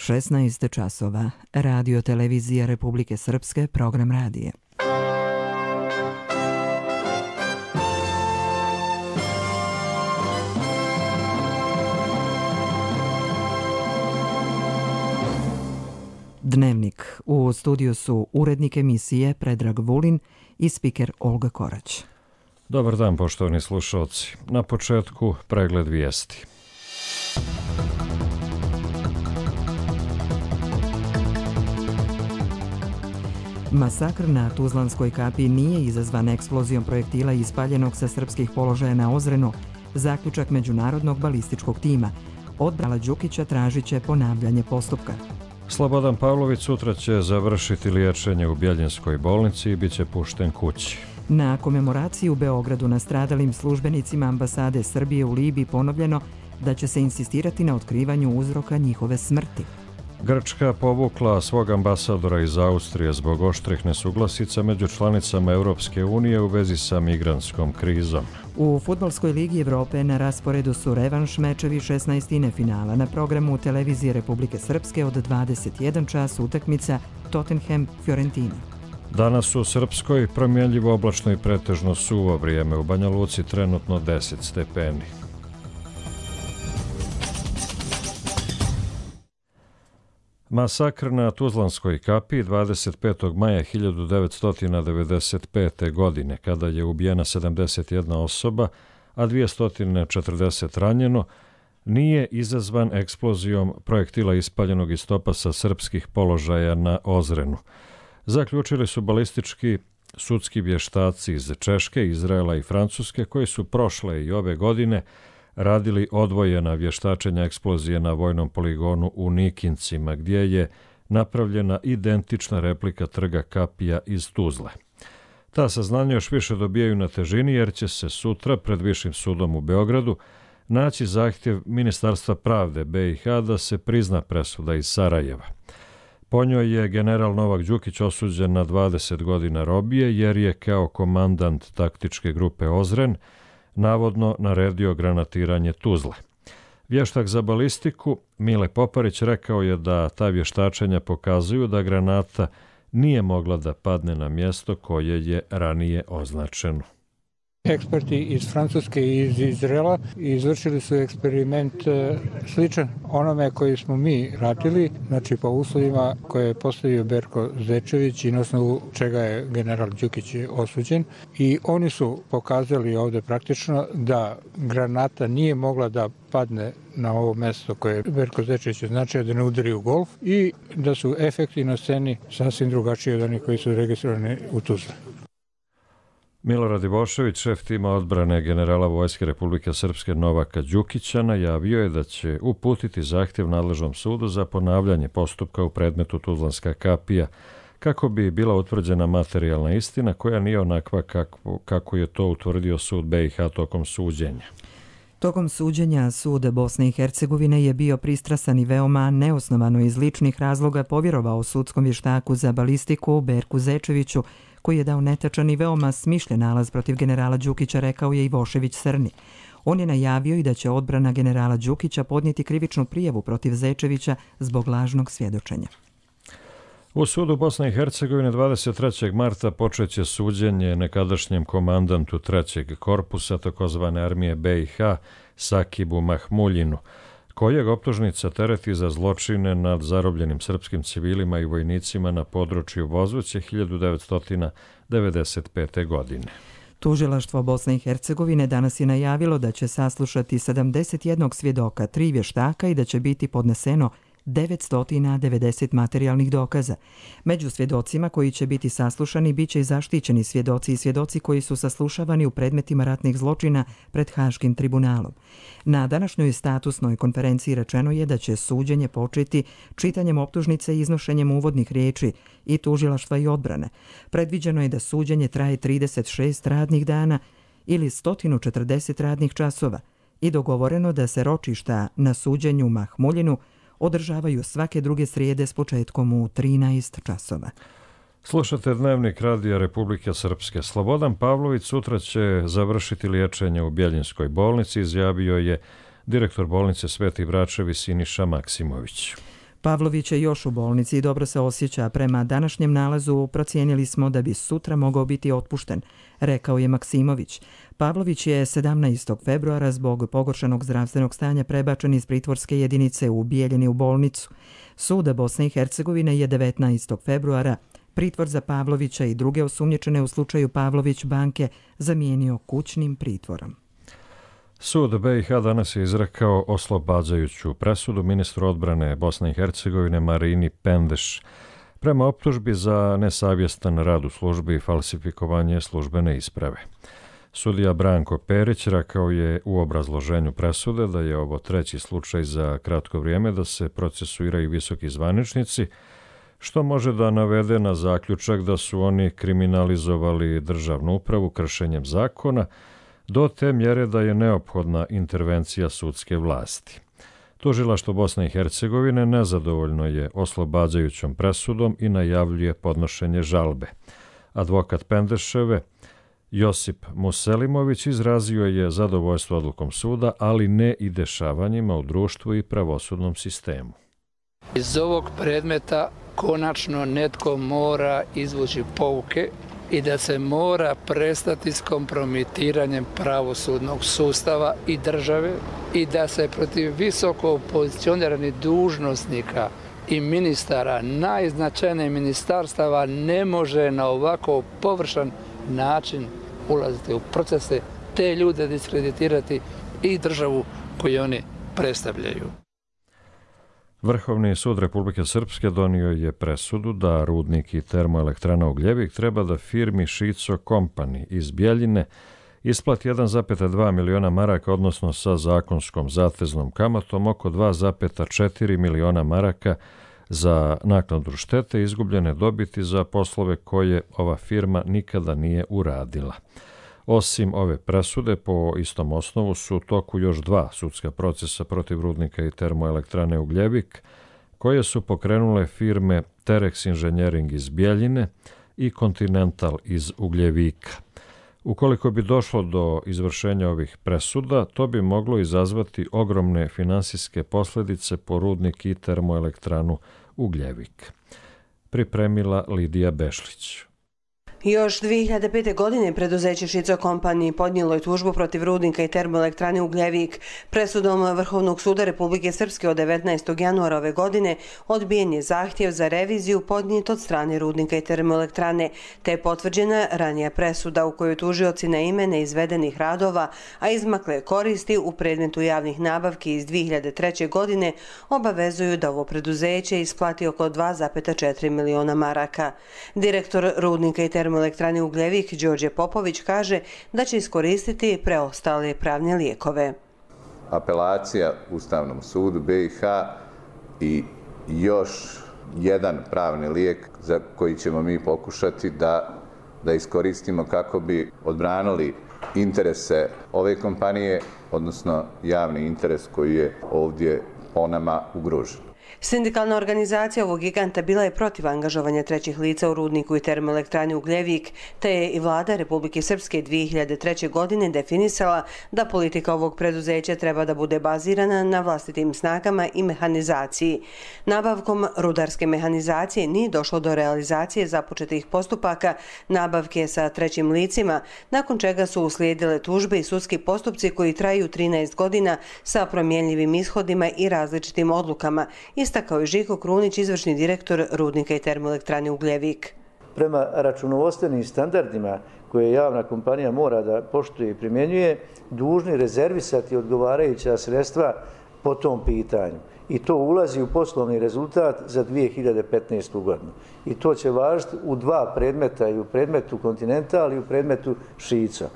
16 časova. Radio televizija Republike Srpske, program radije. Dnevnik. U studiju su urednik emisije Predrag Vulin i spiker Olga Korać. Dobar dan, poštovani slušalci. Na početku pregled vijesti. Masakr na Tuzlanskoj kapiji nije izazvan eksplozijom projektila ispaljenog sa srpskih položaja na Ozrenu, zaključak međunarodnog balističkog tima. Odbrana Đukića tražit će ponavljanje postupka. Slobodan Pavlović sutra će završiti liječenje u Bjeljinskoj bolnici i bit će pušten kući. Na komemoraciji u Beogradu nastradalim službenicima ambasade Srbije u Libiji ponovljeno da će se insistirati na otkrivanju uzroka njihove smrti. Grčka povukla svog ambasadora iz Austrije zbog oštrih nesuglasica među članicama Europske unije u vezi sa migrantskom krizom. U Fudbalskoj ligi Evrope na rasporedu su revanš mečevi 16. finala. Na programu televizije Republike Srpske od 21 čas utakmica Tottenham-Fiorentina. Danas u Srpskoj promjenljivo oblačno i pretežno suvo vrijeme, u Banja Luci trenutno 10 stepeni. Masakr na Tuzlanskoj kapiji 25. maja 1995. godine, kada je ubijena 71 osoba, a 240 ranjeno, nije izazvan eksplozijom projektila ispaljenog iz topasa srpskih položaja na Ozrenu. Zaključili su balistički sudski vještaci iz Češke, Izraela i Francuske, koji su prošle i ove godine radili odvojena vještačenja eksplozije na vojnom poligonu u Nikincima, gdje je napravljena identična replika trga kapija iz Tuzle. Ta saznanja još više dobijaju na težini jer će se sutra pred Višim sudom u Beogradu naći zahtjev Ministarstva pravde BiH da se prizna presuda iz Sarajeva. Po njoj je general Novak Đukić osuđen na 20 godina robije jer je kao komandant taktičke grupe Ozren navodno naredio granatiranje Tuzle. Vještak za balistiku Mile Poparić rekao je da ta vještačenja pokazuju da granata nije mogla da padne na mjesto koje je ranije označeno. Eksperti iz Francuske i iz Izraela izvršili su eksperiment sličan onome koji smo mi radili, znači po uslovima koje je postavio Berko Zečević i na osnovu čega je general Đukić osuđen. I oni su pokazali ovdje praktično da granata nije mogla da padne na ovo mjesto koje je Berko Zečević označio, da ne udari u golf, i da su efekti na sceni sasvim drugačiji od onih koji su registrovani u Tuzli. Milorad Ivošević, šef tima odbrane generala Vojske Republike Srpske Novaka Đukića, najavio je da će uputiti zahtjev nadležnom sudu za ponavljanje postupka u predmetu Tuzlanska kapija, kako bi bila utvrđena materijalna istina koja nije onakva kako je to utvrdio sud BiH tokom suđenja. Tokom suđenja sud Bosne i Hercegovine je bio pristrasan i veoma neosnovano iz ličnih razloga povjerovao sudskom vještaku za balistiku Berku Zečeviću, koji je dao netačan i veoma smišljen nalaz protiv generala Đukića, rekao je Ivošević Srni. On je najavio i da će odbrana generala Đukića podnijeti krivičnu prijavu protiv Zečevića zbog lažnog svjedočenja. U sudu Bosne i Hercegovine 23. marta počeće suđenje nekadašnjem komandantu 3. korpusa takozvane armije BiH Sakibu Mahmuljinu, kojeg optužnica tereti za zločine nad zarobljenim srpskim civilima i vojnicima na području Vozuće 1995. godine. Tužilaštvo Bosne i Hercegovine danas je najavilo da će saslušati 71 svjedoka, 3 vještaka i da će biti podneseno 990 materijalnih dokaza. Među svjedocima koji će biti saslušani bit će i zaštićeni svjedoci i svjedoci koji su saslušavani u predmetima ratnih zločina pred Haškim tribunalom. Na današnjoj statusnoj konferenciji rečeno je da će suđenje početi čitanjem optužnice i iznošenjem uvodnih riječi i tužilaštva i odbrane. Predviđeno je da suđenje traje 36 radnih dana ili 140 radnih časova i dogovoreno da se ročišta na suđenju Mahmuljinu održavaju svake druge srijede s početkom u 13 časova. Slušate Dnevnik Radija Republike Srpske. Slobodan Pavlović sutra će završiti liječenje u Bjeljinskoj bolnici, izjavio je direktor bolnice Sveti Vračevi Siniša Maksimović. Pavlović je još u bolnici i dobro se osjeća. Prema današnjem nalazu procijenili smo da bi sutra mogao biti otpušten, rekao je Maksimović. Pavlović je 17. februara zbog pogoršanog zdravstvenog stanja prebačen iz pritvorske jedinice u Bijeljini u bolnicu. Sud Bosne i Hercegovine je 19. februara pritvor za Pavlovića i druge osumnjičene u slučaju Pavlović banke zamijenio kućnim pritvorom. Sud BiH danas je izrekao oslobađajuću presudu ministru odbrane Bosne i Hercegovine Marini Pendeš prema optužbi za nesavjestan rad u službi i falsifikovanje službene isprave. Sudija Branko Perić rekao je u obrazloženju presude da je ovo treći slučaj za kratko vrijeme da se procesuiraju visoki zvaničnici, što može da navede na zaključak da su oni kriminalizovali državnu upravu kršenjem zakona, do te mjere da je neophodna intervencija sudske vlasti. Tužilaštvo Bosne i Hercegovine nezadovoljno je oslobađajućom presudom i najavljuje podnošenje žalbe. Advokat Pendeševe Josip Muselimović izrazio je zadovoljstvo odlukom suda, ali ne i dešavanjima u društvu i pravosudnom sistemu. Iz ovog predmeta konačno netko mora izvući pouke i da se mora prestati s kompromitiranjem pravosudnog sustava i države i da se protiv visoko pozicioniranih dužnosnika i ministara najznačajnijih ministarstava ne može na ovako površan način ulaziti u procese, te ljude diskreditirati i državu koju oni predstavljaju. Vrhovni sud Republike Srpske donio je presudu da rudnik i termoelektrana Ugljevik treba da firmi Šico Company iz Bjeljine isplati 1,2 miliona maraka, odnosno sa zakonskom zateznom kamatom oko 2,4 miliona maraka za naknadu štete izgubljene dobiti za poslove koje ova firma nikada nije uradila. Osim ove presude, po istom osnovu su u toku još dva sudska procesa protiv rudnika i termoelektrane Ugljevik, koje su pokrenule firme Terex Engineering iz Bjeljine i Continental iz Ugljevika. Ukoliko bi došlo do izvršenja ovih presuda, to bi moglo izazvati ogromne finansijske posljedice po rudnik i termoelektranu Ugljevik. Pripremila Lidija Bešlić. Još 2005. godine preduzeće Šico Company podnijelo je tužbu protiv rudnika i termoelektrane Ugljevik. Presudom Vrhovnog suda Republike Srpske od 19. januara ove godine odbijen je zahtjev za reviziju podnijet od strane rudnika i termoelektrane, te je potvrđena ranija presuda u kojoj tužioci na ime neizvedenih radova, a izmakle koristi u predmetu javnih nabavki iz 2003. godine obavezuju da ovo preduzeće isplati oko 2,4 miliona maraka. Direktor rudnika i termoelektrane Ugljevik Đorđe Popović kaže da će iskoristiti preostale pravne lijekove. Apelacija Ustavnom sudu BiH i još jedan pravni lijek za koji ćemo mi pokušati da iskoristimo kako bi odbranili interese ove kompanije, odnosno javni interes koji je ovdje po nama ugrožen. Sindikalna organizacija ovog giganta bila je protiv angažovanja trećih lica u rudniku i termoelektrani Ugljevik, te je i vlada Republike Srpske 2003. godine definisala da politika ovog preduzeća treba da bude bazirana na vlastitim snagama i mehanizaciji. Nabavkom rudarske mehanizacije nije došlo do realizacije započetih postupaka nabavke sa trećim licima, nakon čega su uslijedile tužbe i sudski postupci koji traju 13 godina sa promjenjivim ishodima i različitim odlukama, istakao je Žiko Krunić, izvršni direktor rudnika i termoelektrane Ugljevik. Prema računovodstvenim standardima koje javna kompanija mora da poštuje i primjenjuje, dužni rezervisati odgovarajuća sredstva po tom pitanju. I to ulazi u poslovni rezultat za 2015. godinu. I to će važiti u dva predmeta, i u predmetu Continental i u predmetu Šico.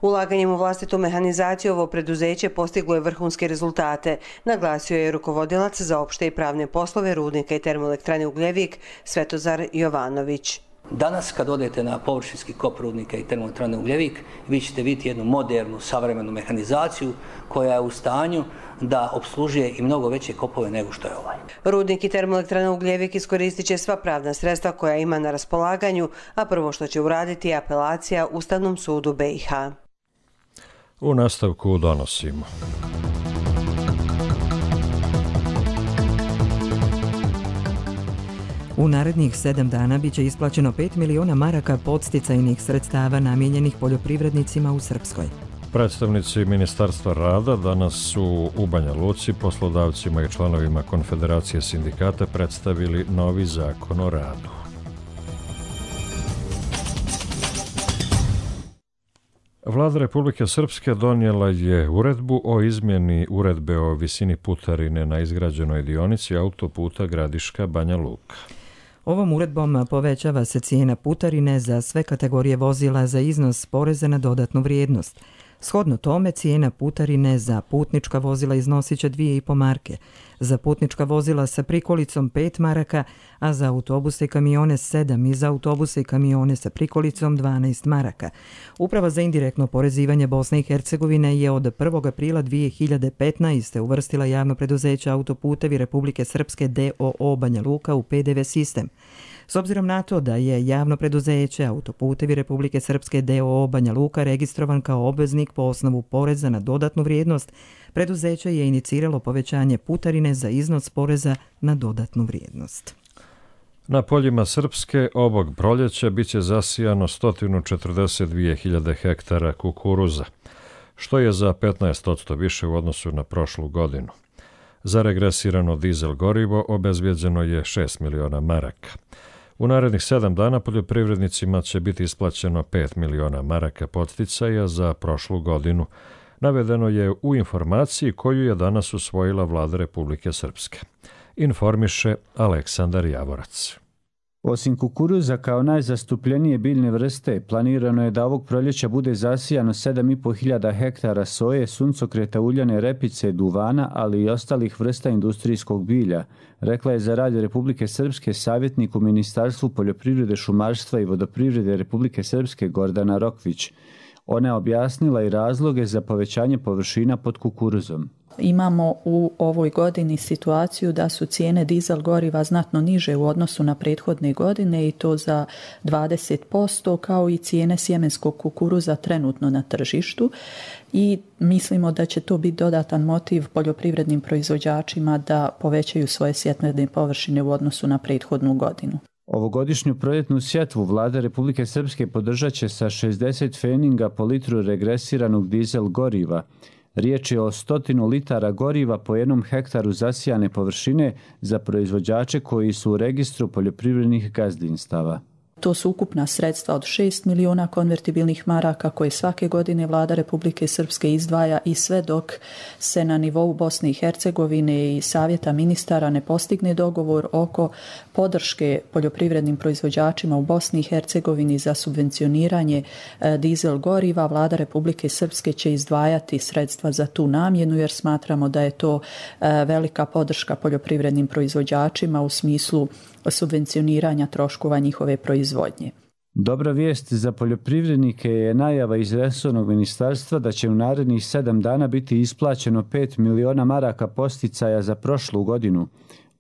Ulaganjem u vlastitu mehanizaciju ovo preduzeće postiglo je vrhunske rezultate, naglasio je rukovodilac za opšte i pravne poslove rudnika i termoelektrane Ugljevik Svetozar Jovanović. Danas kad odete na površinski kop rudnika i termoelektrane Ugljevik, vi ćete vidjeti jednu modernu, savremenu mehanizaciju koja je u stanju da opslužuje i mnogo veće kopove nego što je ovaj. Rudnik i termoelektrana Ugljevik iskoristit će sva pravna sredstva koja ima na raspolaganju, a prvo što će uraditi je apelacija Ustavnom sudu BiH. U nastavku donosimo. U narednih 7 dana biće isplaćeno 5 miliona maraka podsticajnih sredstava namijenjenih poljoprivrednicima u Srpskoj. Predstavnici Ministarstva rada danas su u Banja Luci poslodavcima i članovima Konfederacije sindikata predstavili novi zakon o radu. Vlada Republike Srpske donijela je uredbu o izmjeni uredbe o visini putarine na izgrađenoj dionici autoputa Gradiška-Banja Luka. Ovom uredbom povećava se cijena putarine za sve kategorije vozila za iznos poreza na dodatnu vrijednost. Shodno tome, cijena putarine za putnička vozila iznosit će 2,5 marke, za putnička vozila sa prikolicom 5 maraka, a za autobuse i kamione 7 i za autobuse i kamione sa prikolicom 12 maraka. Uprava za indirektno porezivanje Bosne i Hercegovine je od 1. aprila 2015. uvrstila javno preduzeće Autoputevi Republike Srpske d.o.o. Banja Luka u PDV sistem. S obzirom na to da je javno preduzeće Autoputevi Republike Srpske d.o.o. Banja Luka registrovan kao obveznik po osnovu poreza na dodatnu vrijednost, preduzeće je iniciralo povećanje putarine za iznos poreza na dodatnu vrijednost. Na poljima Srpske ovog proljeća biće zasijano 142.000 hektara kukuruza, što je za 15% više u odnosu na prošlu godinu. Za regresirano dizel gorivo obezbijeđeno je 6 miliona maraka. U narednih 7 dana poljoprivrednicima će biti isplaćeno 5 miliona maraka podsticaja za prošlu godinu. Navedeno je u informaciji koju je danas usvojila Vlada Republike Srpske. Informiše Aleksandar Javorac. Osim kukuruza kao najzastupljenije biljne vrste, planirano je da ovog proljeća bude zasijano 7.500 hektara soje, suncokreta, uljane repice, duvana, ali i ostalih vrsta industrijskog bilja, rekla je za Radio Republike Srpske savjetnik u Ministarstvu poljoprivrede, šumarstva i vodoprivrede Republike Srpske Gordana Rokvić. Ona je objasnila i razloge za povećanje površina pod kukuruzom. Imamo u ovoj godini situaciju da su cijene dizel goriva znatno niže u odnosu na prethodne godine i to za 20%, kao i cijene sjemenskog kukuruza trenutno na tržištu i mislimo da će to biti dodatan motiv poljoprivrednim proizvođačima da povećaju svoje sjetvene površine u odnosu na prethodnu godinu. Ovogodišnju proljetnu sjetvu Vlada Republike Srpske podržat će sa 60 pfeninga po litru regresiranog dizel goriva. Riječ je o 100 litara goriva po jednom hektaru zasijane površine za proizvođače koji su u registru poljoprivrednih gazdinstava. To su ukupna sredstva od 6 miliona konvertibilnih maraka koje svake godine Vlada Republike Srpske izdvaja i sve dok se na nivou Bosne i Hercegovine i Savjeta ministara ne postigne dogovor oko podrške poljoprivrednim proizvođačima u Bosni i Hercegovini za subvencioniranje dizel goriva. Vlada Republike Srpske će izdvajati sredstva za tu namjenu jer smatramo da je to velika podrška poljoprivrednim proizvođačima u smislu subvencioniranja troškova njihove proizvodnje. Dobra vijest za poljoprivrednike je najava iz resornog ministarstva da će u narednih 7 dana biti isplaćeno 5 miliona maraka podsticaja za prošlu godinu.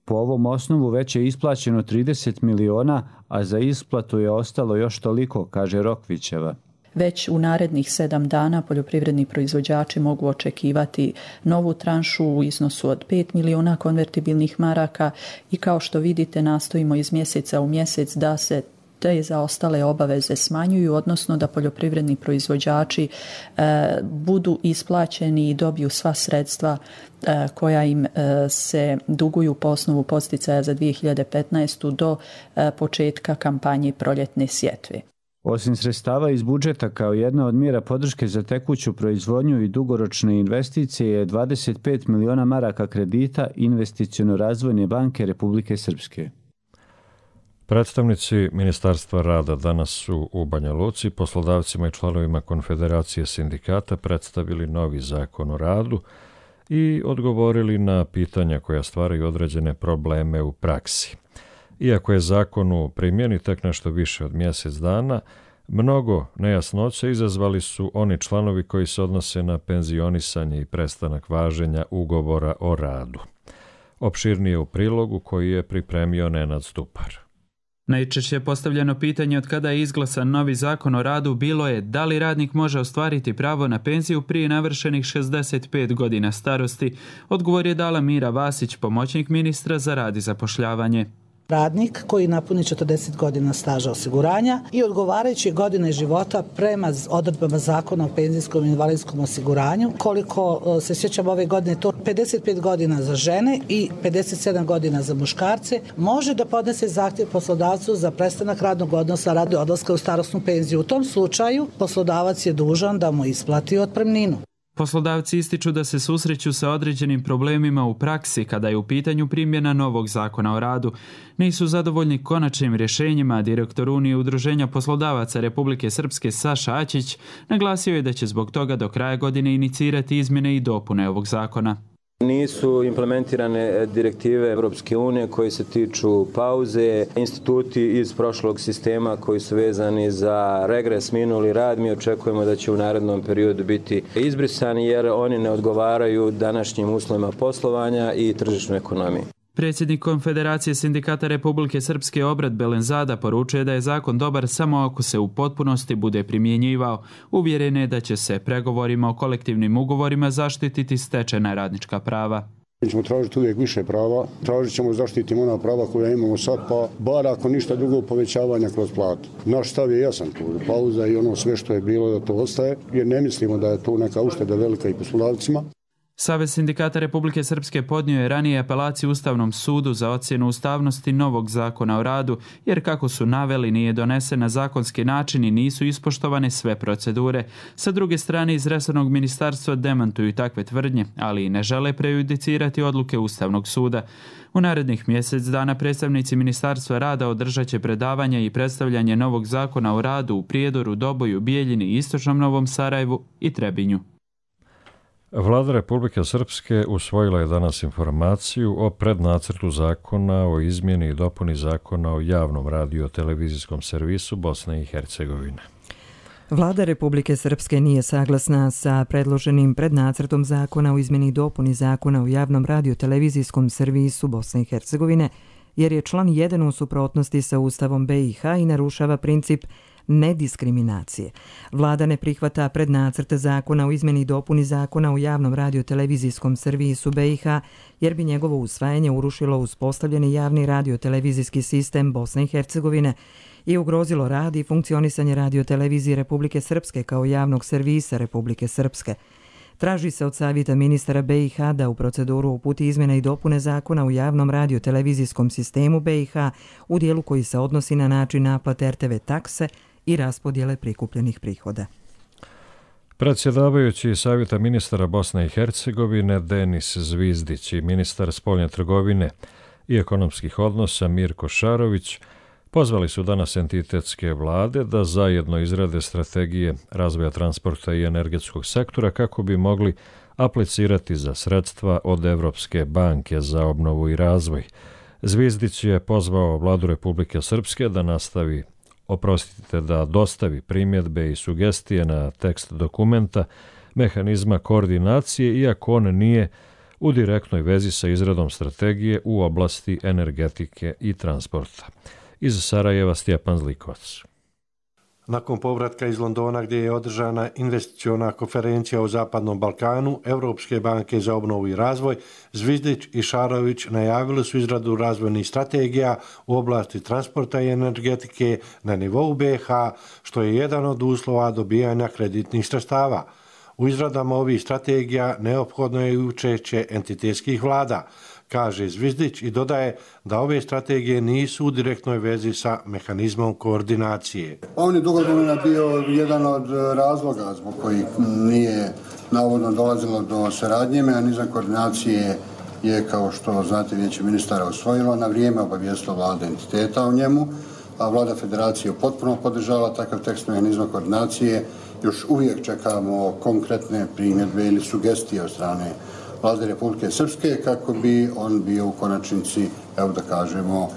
Po ovom osnovu već je isplaćeno 30 miliona, a za isplatu je ostalo još toliko, kaže Rokvićeva. Već u narednih 7 dana poljoprivredni proizvođači mogu očekivati novu tranšu u iznosu od 5 miliona konvertibilnih maraka i kao što vidite nastojimo iz mjeseca u mjesec da se te zaostale obaveze smanjuju, odnosno da poljoprivredni proizvođači budu isplaćeni i dobiju sva sredstva koja im se duguju po osnovu podsticaja za 2015. do početka kampanje proljetne sjetve. Osim sredstava iz budžeta kao jedna od mjera podrške za tekuću proizvodnju i dugoročne investicije je 25 miliona maraka kredita Investiciono-razvojne banke Republike Srpske. Predstavnici Ministarstva rada danas su u Banja Luci poslodavcima i članovima Konfederacije sindikata predstavili novi zakon o radu i odgovorili na pitanja koja stvaraju određene probleme u praksi. Iako je zakon u primjeni tek nešto više od mjesec dana, mnogo nejasnoća izazvali su oni članovi koji se odnose na penzionisanje i prestanak važenja ugovora o radu. Opširnije u prilogu koji je pripremio Nenad Stupar. Najčešće postavljeno pitanje od kada je izglasan novi zakon o radu bilo je da li radnik može ostvariti pravo na penziju prije navršenih 65 godina starosti. Odgovor je dala Mira Vasić, pomoćnik ministra za rad i zapošljavanje. radnik koji napuni 40 godina staža osiguranja i odgovarajuće godine života prema odredbama Zakona o penzijskom i invalidskom osiguranju. Koliko se sjećam ove godine, to 55 godina za žene i 57 godina za muškarce, može da podnese zahtjev poslodavcu za prestanak radnog odnosa radi odlaska u starosnu penziju. U tom slučaju poslodavac je dužan da mu isplati otpremninu. Poslodavci ističu da se susreću sa određenim problemima u praksi kada je u pitanju primjena novog zakona o radu. Nisu zadovoljni konačnim rješenjima, direktor Unije udruženja poslodavaca Republike Srpske Saša Aćić naglasio je da će zbog toga do kraja godine inicirati izmjene i dopune ovog zakona. Nisu implementirane direktive Evropske unije koje se tiču pauze, instituti iz prošlog sistema koji su vezani za regres, minuli rad. Mi očekujemo da će u narednom periodu biti izbrisani jer oni ne odgovaraju današnjim uslovima poslovanja i tržišnoj ekonomiji. Predsjednik Konfederacije sindikata Republike Srpske Obrad Belenzada poručuje da je zakon dobar samo ako se u potpunosti bude primjenjivao. Uvjeren je da će se pregovorima o kolektivnim ugovorima zaštititi stečena radnička prava. Mi ćemo tražiti uvijek više prava, tražit ćemo zaštititi ona prava koja imamo sad, pa bar ako ništa drugo povećavanja kroz platu. Naš stav je jasan tu, pauza i ono sve što je bilo da to ostaje, jer ne mislimo da je to neka ušteda velika i poslodavcima. Savez sindikata Republike Srpske podnio je ranije apelaciju Ustavnom sudu za ocjenu ustavnosti novog zakona o radu, jer kako su naveli nije donesen na zakonski način i nisu ispoštovane sve procedure. Sa druge strane iz resornog ministarstva demantuju takve tvrdnje, ali i ne žele prejudicirati odluke Ustavnog suda. U narednih mjesec dana predstavnici Ministarstva rada održat će predavanja i predstavljanje novog zakona o radu u Prijedoru, Doboju, Bijeljini, Istočnom Novom Sarajevu i Trebinju. Vlada Republike Srpske usvojila je danas informaciju o prednacrtu zakona o izmjeni i dopuni zakona o javnom radio-televizijskom servisu Bosne i Hercegovine. Vlada Republike Srpske nije saglasna sa predloženim prednacrtom zakona o izmjeni i dopuni zakona o javnom radio-televizijskom servisu Bosne i Hercegovine, jer je član 1 u suprotnosti sa Ustavom BiH i narušava princip nediskriminacije. Vlada ne prihvata prednacrt zakona o izmjeni i dopuni zakona o javnom radio-televizijskom servisu BiH, jer bi njegovo usvajanje urušilo uspostavljeni javni radio-televizijski sistem Bosne i Hercegovine i ugrozilo rad i funkcionisanje radio-televizije Republike Srpske kao javnog servisa Republike Srpske. Traži se od Savjeta ministara BiH da u proceduru uputi izmjene i dopune zakona u javnom radio-televizijskom sistemu BiH u dijelu koji se odnosi na način naplate RTV takse i raspodjele prikupljenih prihoda. Predsjedavajući Savjeta ministara Bosne i Hercegovine Denis Zvizdić i ministar spoljne trgovine i ekonomskih odnosa Mirko Šarović pozvali su danas entitetske vlade da zajedno izrade strategije razvoja transporta i energetskog sektora kako bi mogli aplicirati za sredstva od Evropske banke za obnovu i razvoj. Zvizdić je pozvao Vladu Republike Srpske da dostavi primjedbe i sugestije na tekst dokumenta mehanizma koordinacije, iako on nije u direktnoj vezi sa izradom strategije u oblasti energetike i transporta. Iz Sarajeva Stjepan Zlikovac. Nakon povratka iz Londona gdje je održana investiciona konferencija o Zapadnom Balkanu, Evropske banke za obnovu i razvoj, Zvizdić i Šarović najavili su izradu razvojnih strategija u oblasti transporta i energetike na nivou BiH, što je jedan od uslova dobijanja kreditnih sredstava. U izradama ovih strategija neophodno je i učešće entitetskih vlada, kaže Zvizdić i dodaje da ove strategije nisu u direktnoj vezi sa mehanizmom koordinacije. On je dugo vremena bio jedan od razloga zbog kojih nije navodno dolazilo do saradnje. Mehanizam koordinacije je, kao što znate, Vijeće ministara usvojilo na vrijeme, obavijestilo vlade entiteta o njemu, a vlada federacije potpuno podržala takav tekst mehanizma koordinacije. Još uvijek čekamo konkretne primjedbe ili sugestije od strane Vlade Republike Srpske kako bi on bio u konačnici, evo da kažemo,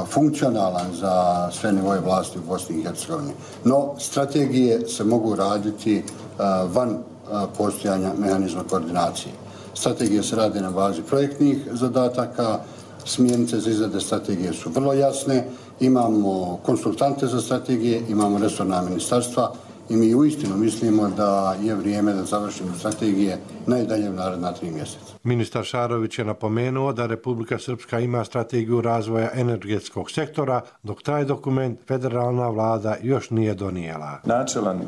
funkcionalan za sve nivoje vlasti u Bosni i Hercegovini. No, strategije se mogu raditi van postojanja mehanizma koordinacije. Strategije se rade na bazi projektnih zadataka, smjernice za izrade strategije su vrlo jasne, imamo konsultante za strategije, imamo resorna ministarstva, i mi uistinu mislimo da je vrijeme da završimo strategije najdalje u naredna 3 mjeseca. Ministar Šarović je napomenuo da Republika Srpska ima strategiju razvoja energetskog sektora, dok taj dokument federalna vlada još nije donijela. Načelan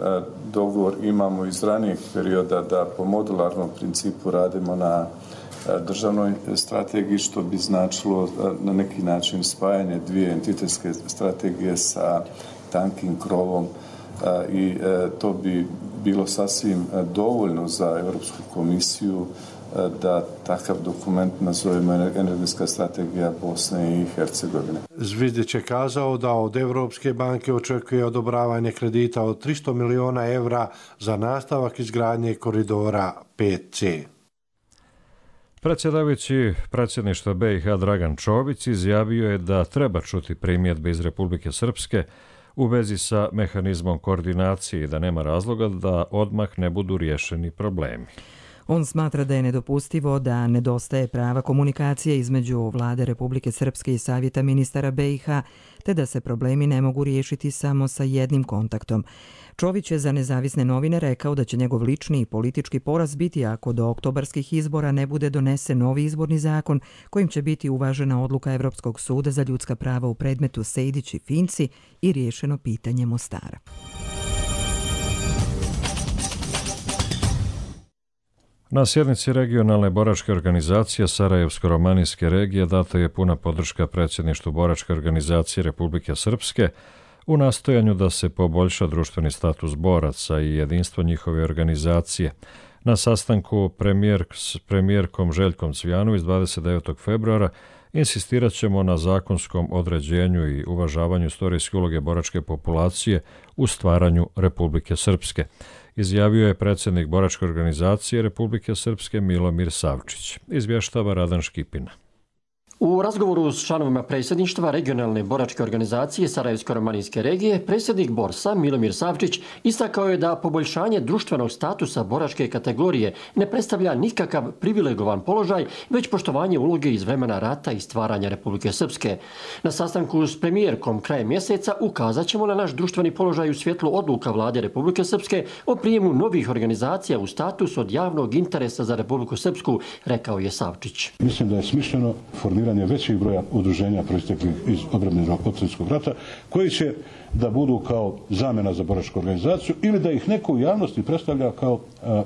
dogovor imamo iz ranijeg perioda da po modularnom principu radimo na državnoj strategiji, što bi značilo na neki način spajanje dvije entitetske strategije sa tankim krovom i to bi bilo sasvim dovoljno za Europsku komisiju da takav dokument nazovemo energetska strategija Bosne i Hercegovine. Zvizdić je kazao da od Europske banke očekuje odobravanje kredita od 300 miliona evra za nastavak izgradnje koridora 5C. Predsjedavajući predsjedništva BiH Dragan Čović izjavio je da treba čuti primjedbe iz Republike Srpske u vezi sa mehanizmom koordinacije i da nema razloga da odmah ne budu riješeni problemi. On smatra da je nedopustivo da nedostaje prava komunikacije između Vlade Republike Srpske i Savjeta ministara BiH, te da se problemi ne mogu riješiti samo sa jednim kontaktom. Čović je za Nezavisne novine rekao da će njegov lični i politički poraz biti ako do oktobarskih izbora ne bude donesen novi izborni zakon kojim će biti uvažena odluka Evropskog suda za ljudska prava u predmetu Sejdić i Finci i riješeno pitanje Mostara. Na sjednici regionalne boračke organizacije Sarajevsko-romanijske regije data je puna podrška predsjedništvu boračke organizacije Republike Srpske u nastojanju da se poboljša društveni status boraca i jedinstvo njihove organizacije. Na sastanku s premijerkom Željkom Cvijanović 29. februara insistirat ćemo na zakonskom određenju i uvažavanju istorijske uloge boračke populacije u stvaranju Republike Srpske, izjavio je predsjednik boračke organizacije Republike Srpske Milomir Savčić. Izvještava Radan Škipina. U razgovoru s članovima predsjedništva regionalne boračke organizacije Sarajevsko-romanijske regije, predsjednik Borsa Milomir Savčić istakao je da poboljšanje društvenog statusa boračke kategorije ne predstavlja nikakav privilegovan položaj, već poštovanje uloge iz vremena rata i stvaranja Republike Srpske. Na sastanku s premijerkom krajem mjeseca ukazat ćemo na naš društveni položaj u svjetlu odluka vlade Republike Srpske o prijemu novih organizacija u status od javnog interesa za Republiku Srpsku, rekao je Savčić. Mislim da je smišljeno formiranje većih broja udruženja proisteklih iz odbrambenog Svjetskog rata, koji će da budu kao zamjena za boračku organizaciju ili da ih neko u javnosti predstavlja kao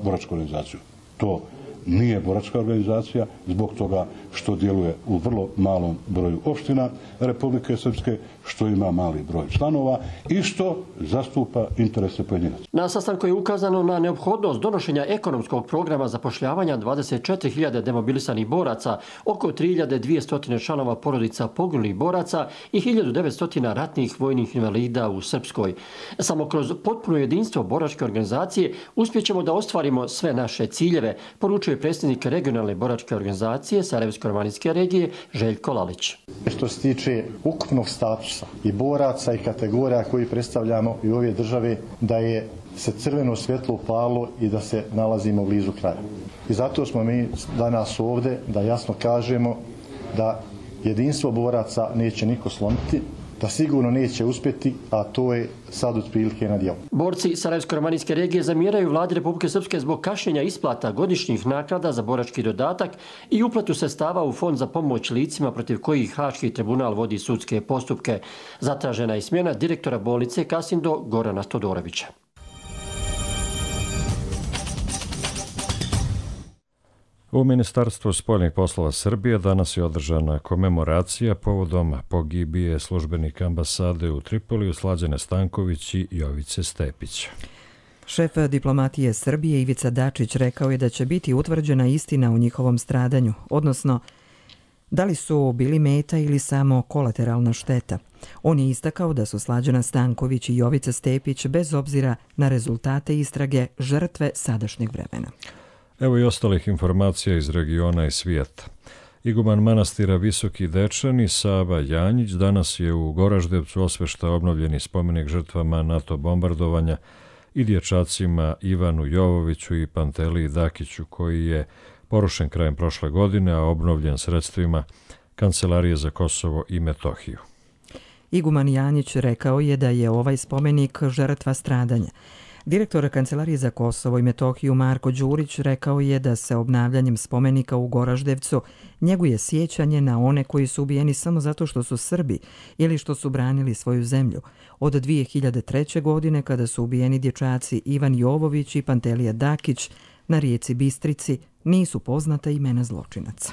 boračku organizaciju. To nije boračka organizacija zbog toga što djeluje u vrlo malom broju opština Republike Srpske, što ima mali broj članova i što zastupa interese pojedinaca. Na sastanku je ukazano na neophodnost donošenja ekonomskog programa zapošljavanja 24.000 demobilisanih boraca, oko 3.200 članova porodica poginulih boraca i 1.900 ratnih vojnih invalida u Srpskoj. Samo kroz potpuno jedinstvo boračke organizacije uspjećemo da ostvarimo sve naše ciljeve, poručuje predsjednik regionalne boračke organizacije Sarajevsko-romanijske regije Željko Lalić. Što se tiče ukupnog statusa i boraca i kategorija koji predstavljamo i ove države, da je se crveno svjetlo upalo i da se nalazimo blizu kraja. I zato smo mi danas ovdje da jasno kažemo da jedinstvo boraca neće niko slomiti, da sigurno neće uspjeti, a to je sad otprilike na djelu. Borci Sarajevsko-romanijske regije zamjeraju vladi Republike Srpske zbog kašnjenja isplata godišnjih naknada za borački dodatak i uplatu sredstava u fond za pomoć licima protiv kojih Haški tribunal vodi sudske postupke. Zatražena je smjena direktora bolnice Kasindo Gorana Todorovića. U Ministarstvu spoljnih poslova Srbije danas je održana komemoracija povodom pogibije službenika ambasade u Tripoliju Slađane Stanković i Jovice Stepić. Šef diplomatije Srbije Ivica Dačić rekao je da će biti utvrđena istina o njihovom stradanju, odnosno da li su bili meta ili samo kolateralna šteta. On je istakao da su Slađana Stanković i Jovica Stepić bez obzira na rezultate istrage žrtve sadašnjeg vremena. Evo i ostalih informacija iz regiona i svijeta. Iguman manastira Visoki Dečani Sava Janjić danas je u Goraždevcu osveštao obnovljeni spomenik žrtvama NATO bombardovanja i dječacima Ivanu Jovoviću i Panteliji Dakiću, koji je porušen krajem prošle godine, a obnovljen sredstvima Kancelarije za Kosovo i Metohiju. Iguman Janjić rekao je da je ovaj spomenik žrtva stradanja. Direktor Kancelarije za Kosovo i Metohiju Marko Đurić rekao je da se obnavljanjem spomenika u Goraždevcu njeguje sjećanje na one koji su ubijeni samo zato što su Srbi ili što su branili svoju zemlju. Od 2003. godine kada su ubijeni dječaci Ivan Jovović i Pantelija Dakić na rijeci Bistrici nisu poznata imena zločinaca.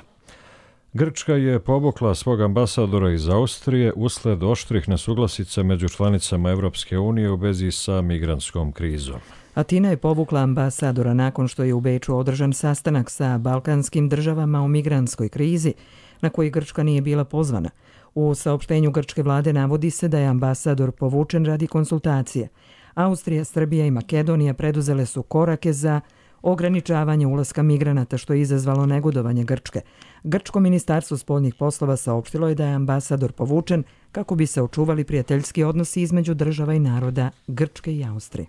Grčka je povukla svog ambasadora iz Austrije usled oštrih nesuglasica među članicama Evropske unije u vezi sa migrantskom krizom. Atina je povukla ambasadora nakon što je u Beču održan sastanak sa balkanskim državama o migrantskoj krizi, na koji Grčka nije bila pozvana. U saopštenju grčke vlade navodi se da je ambasador povučen radi konsultacije. Austrija, Srbija i Makedonija preduzele su korake za ograničavanje ulaska migranata, što je izazvalo negodovanje Grčke. Grčko ministarstvo spoljnih poslova saopštilo je da je ambasador povučen kako bi se očuvali prijateljski odnosi između država i naroda Grčke i Austrije.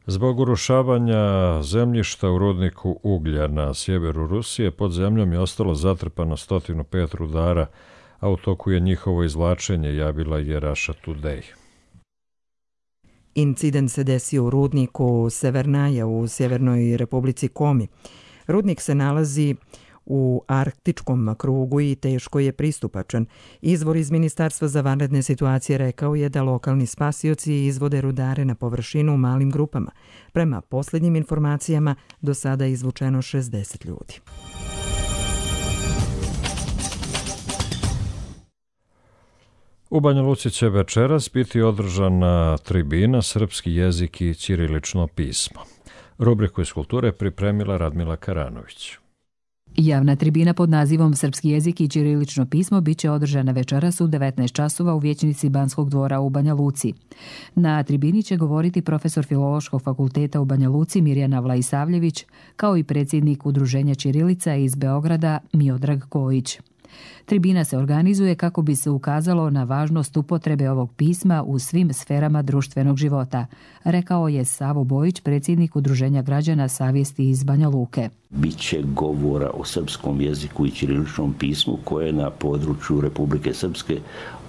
Zbog urušavanja zemljišta u rudniku uglja na sjeveru Rusije pod zemljom je ostalo zatrpano 105 rudara, a u toku je njihovo izvlačenje, javila je Russia Today. Incident se desio u rudniku Severnaja u Sjevernoj Republici Komi. Rudnik se nalazi u arktičkom krugu i teško je pristupačan. Izvor iz Ministarstva za vanredne situacije rekao je da lokalni spasioci izvode rudare na površinu u malim grupama. Prema posljednjim informacijama, do sada je izvučeno 60 ljudi. U Banja Luci će večeras biti održana tribina Srpski jezik i ćirilično pismo. Rubriku iz kulture pripremila Radmila Karanović. Javna tribina pod nazivom Srpski jezik i ćirilično pismo biće održana večeras u 19 časova u vijećnici Banskog dvora u Banja Luci. Na tribini će govoriti profesor Filološkog fakulteta u Banja Luci Mirjana Vlaisavljević, kao i predsjednik Udruženja ćirilica iz Beograda Miodrag Kojić. Tribina se organizuje kako bi se ukazalo na važnost upotrebe ovog pisma u svim sferama društvenog života, rekao je Savo Bojić, predsjednik Udruženja građana Savjesti iz Banja Luke. Biće govora o srpskom jeziku i ćiriličnom pismu koje je na području Republike Srpske,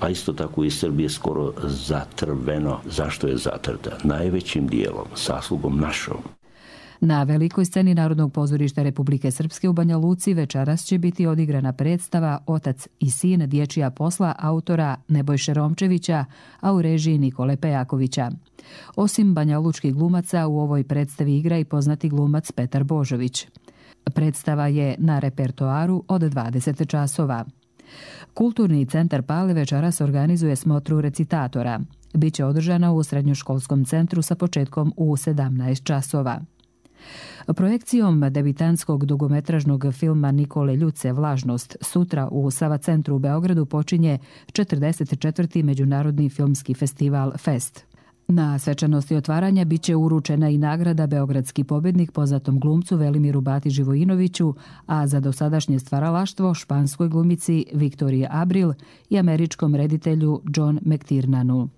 a isto tako i Srbije skoro zatrveno. Zašto je zatrta? Najvećim dijelom, saslugom našom. Na velikoj sceni Narodnog pozorišta Republike Srpske u Banja Luci večeras će biti odigrana predstava Otac i sin dječja posla autora Nebojše Romčevića, a u režiji Nikole Pejakovića. Osim banjalučkih glumaca, u ovoj predstavi igra i poznati glumac Petar Božović. Predstava je na repertoaru od 20 časova. Kulturni centar Pale večeras organizuje smotru recitatora. Biće održana u srednjoškolskom centru sa početkom u 17 časova. Projekcijom debitanskog dugometražnog filma Nikole Ljuce Vlažnost sutra u Sava centru u Beogradu počinje 44. Međunarodni filmski festival Fest. Na svečanosti otvaranja biće uručena i nagrada Beogradski pobjednik poznatom glumcu Velimiru Bati Živojinoviću, a za dosadašnje stvaralaštvo španskoj glumici Viktoriji Abril i američkom reditelju John McTiernanu.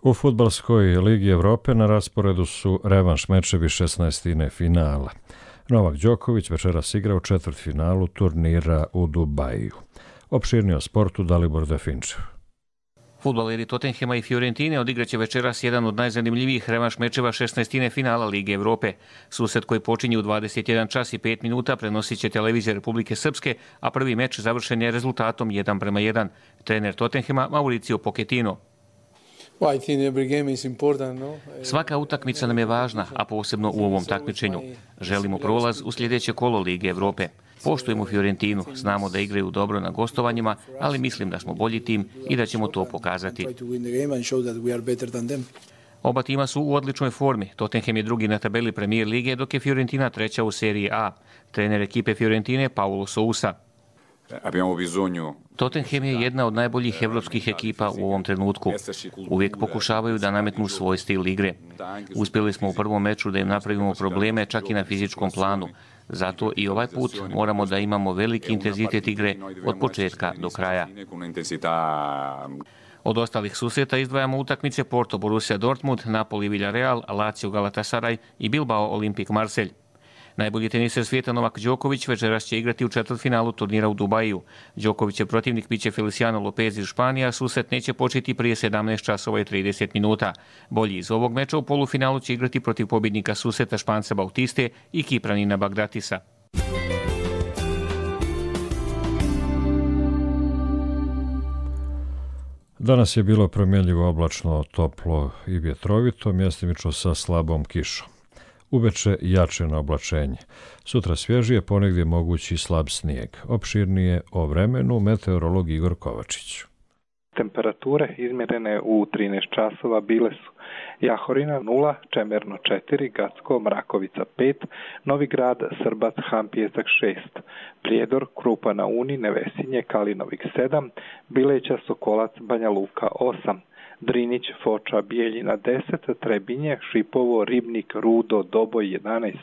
U Fudbalskoj ligi Evrope na rasporedu su revanš mečevi 16. finala. Novak Đoković večeras igra u četvrtfinalu turnira u Dubaju. Opširnije o sportu Dalibor Definčev. Fudbaleri Tottenhema i Fiorentine odigraće večeras jedan od najzanimljivijih revanš mečeva 16. finala Lige Evrope. Susret koji počinje u 21 čas i 5 minuta prenosit će televizija Republike Srpske, a prvi meč završen je rezultatom 1:1. Trener Tottenhema Mauricio Pochettino. Svaka utakmica nam je važna, a posebno u ovom takmičenju. Želimo prolaz u sljedeće kolo Lige Evrope. Poštujemo Fiorentinu, znamo da igraju dobro na gostovanjima, ali mislim da smo bolji tim i da ćemo to pokazati. Oba tima su u odličnoj formi. Tottenham je drugi na tabeli Premier lige, dok je Fiorentina treća u seriji A. Trener ekipe Fiorentine Paulo Sousa. Tottenham je jedna od najboljih evropskih ekipa u ovom trenutku. Uvijek pokušavaju da nametnu svoj stil igre. Uspjeli smo u prvom meču da im napravimo probleme čak i na fizičkom planu. Zato i ovaj put moramo da imamo veliki intenzitet igre od početka do kraja. Od ostalih susreta izdvajamo utakmice Porto Borussia Dortmund, Napoli Villarreal, Lazio Galatasaray i Bilbao Olimpik Marselj. Najbolji teniser svijeta Novak Đoković večeras će igrati u četvrtfinalu turnira u Dubaju. Đokovićev protivnik biće Feliciano Lopez iz Španije, a susret neće početi prije 17 časova i 30 minuta. Bolji iz ovog meča u polufinalu će igrati protiv pobjednika susreta Španca Bautiste i Kipranina Bagdatisa. Danas je bilo promjenljivo oblačno, toplo i vjetrovito, mjestimično sa slabom kišom. Uveče jače na oblačenje. Sutra svježije, ponegdje mogući slab snijeg. Opširnije o vremenu meteorolog Igor Kovačić. Temperature izmjerene u 13 časova bile su Jahorina 0, Čemerno 4, Gacko, Mrakovica 5, Novi Grad, Srbac, Han, Pijesak 6, Prijedor, Krupa na Uni, Nevesinje, Kalinovik 7, Bileća, Sokolac, Banja Luka 8, Drinić, Foča, Bijeljina 10, Trebinje, Šipovo, Ribnik, Rudo, Doboj 11,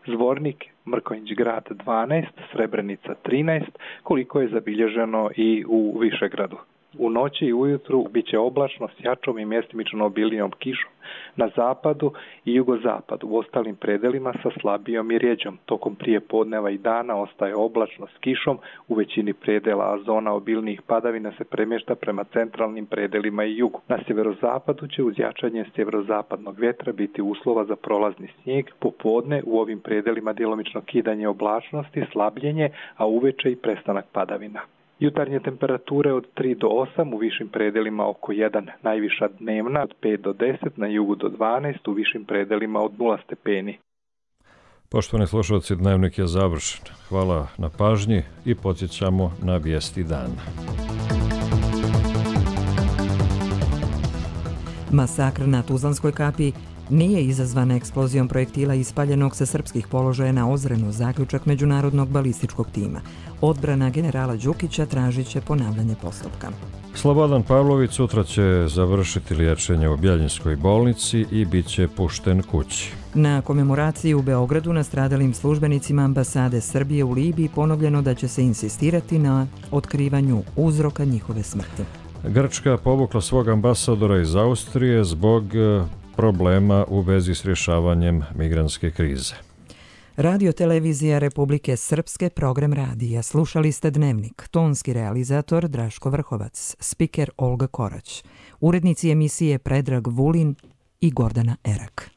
Zvornik, Mrkonjić Grad 12, Srebrenica 13, koliko je zabilježeno i u Višegradu. U noći i ujutru bit će oblačno s jačom i mjestimično obilijom kišom na zapadu i jugozapadu. U ostalim predelima sa slabijom i rjeđom. Tokom prije podneva i dana ostaje oblačno s kišom u većini predela, a zona obilnijih padavina se premješta prema centralnim predelima i jugu. Na sjeverozapadu će uz jačanje sjeverozapadnog vjetra biti uslova za prolazni snijeg. Popodne u ovim predelima djelomično kidanje oblačnosti, slabljenje, a uveče i prestanak padavina. Jutarnje temperature od 3 do 8, u višim predelima oko 1, najviša dnevna od 5 do 10, na jugu do 12, u višim predelima od 0 stepeni. Poštovani slušalci, dnevnik je završen. Hvala na pažnji i podsjećamo na vijesti dana. Masakr na Tuzlanskoj kapiji nije izazvan eksplozijom projektila ispaljenog sa srpskih položaja na Ozrenu, zaključak međunarodnog balističkog tima. Odbrana generala Đukića tražit će ponavljanje postupka. Slobodan Pavlović sutra će završiti liječenje u Bjeljinskoj bolnici i bit će pušten kući. Na komemoraciji u Beogradu nastradalim službenicima ambasade Srbije u Libiji ponovljeno da će se insistirati na otkrivanju uzroka njihove smrti. Grčka povukla svog ambasadora iz Austrije zbog problema u vezi s rješavanjem migrantske krize. Radio televizija Republike Srpske, program radija. Slušali ste Dnevnik. Tonski realizator Draško Vrhovac, spiker Olga Korać, urednici emisije Predrag Vulin i Gordana Erak.